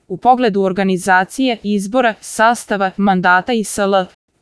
U pogledu organizacije, izbora, sastava, mandata i sl.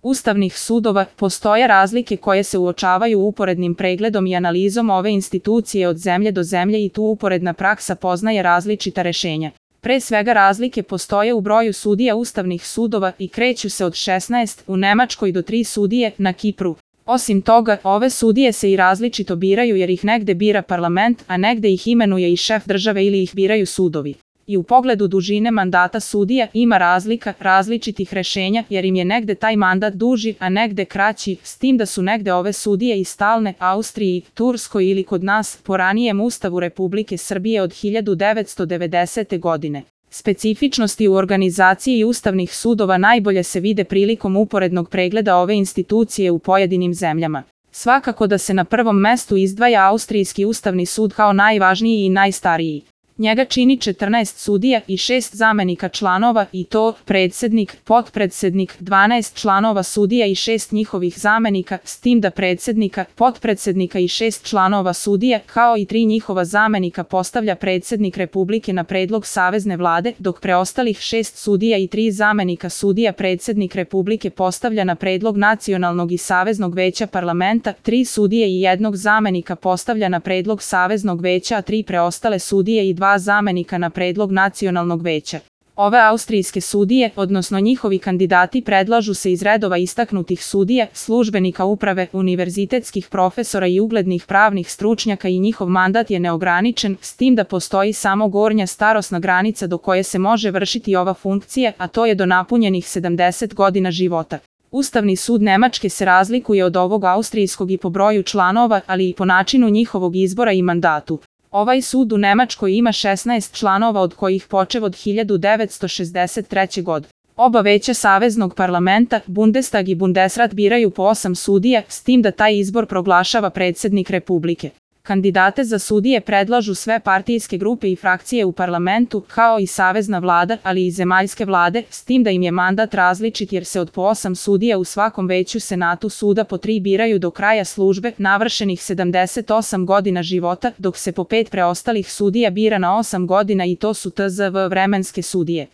Ustavnih sudova, postoje razlike koje se uočavaju uporednim pregledom i analizom ove institucije od zemlje do zemlje i tu uporedna praksa poznaje različita rešenja. Pre svega razlike postoje u broju sudija ustavnih sudova i kreću se od 16 u Nemačkoj do 3 sudije na Kipru. Osim toga, ove sudije se i različito biraju jer ih negde bira parlament, a negde ih imenuje i šef države ili ih biraju sudovi. I u pogledu dužine mandata sudija ima različitih rešenja jer im je negde taj mandat duži, a negde kraći, s tim da su negde ove sudije i stalne Austriji, Turskoj ili kod nas po ranijem Ustavu Republike Srbije od 1990. godine. Specifičnosti u organizaciji ustavnih sudova najbolje se vide prilikom uporednog pregleda ove institucije u pojedinim zemljama. Svakako da se na prvom mestu izdvaja Austrijski ustavni sud kao najvažniji i najstariji. Njega čini 14 sudija i 6 zamenika članova i to predsednik, potpredsednik, 12 članova sudija i 6 njihovih zamenika, s tim da predsednika, potpredsednika i 6 članova sudija, kao i 3 njihova zamenika postavlja predsednik Republike na predlog Savezne vlade, dok preostalih 6 sudija i 3 zamenika sudija predsednik Republike postavlja na predlog Nacionalnog i Saveznog veća parlamenta, 3 sudije i 1 zamenika postavlja na predlog Saveznog veća, a 3 preostale sudije i 2 zamenika na predlog Nacionalnog veća. Ove austrijske sudije, odnosno njihovi kandidati predlažu se iz redova istaknutih sudija, službenika uprave, univerzitetskih profesora i uglednih pravnih stručnjaka i njihov mandat je neograničen, s tim da postoji samo gornja starosna granica do koje se može vršiti ova funkcija, a to je do napunjenih 70 godina života. Ustavni sud Nemačke se razlikuje od ovog austrijskog i po broju članova, ali i po načinu njihovog izbora i mandatu. Ovaj sud u Nemačkoj ima 16 članova od kojih počev od 1963. godine. Oba veća Saveznog parlamenta, Bundestag i Bundesrat biraju po 8 sudija, s tim da taj izbor proglašava predsednik Republike. Kandidate za sudije predlažu sve partijske grupe i frakcije u parlamentu, kao i Savezna vlada, ali i zemaljske vlade, s tim da im je mandat različit jer se od po 8 sudija u svakom veću senatu suda po 3 biraju do kraja službe, navršenih 78 godina života, dok se po 5 preostalih sudija bira na 8 godina i to su tzv. vremenske sudije.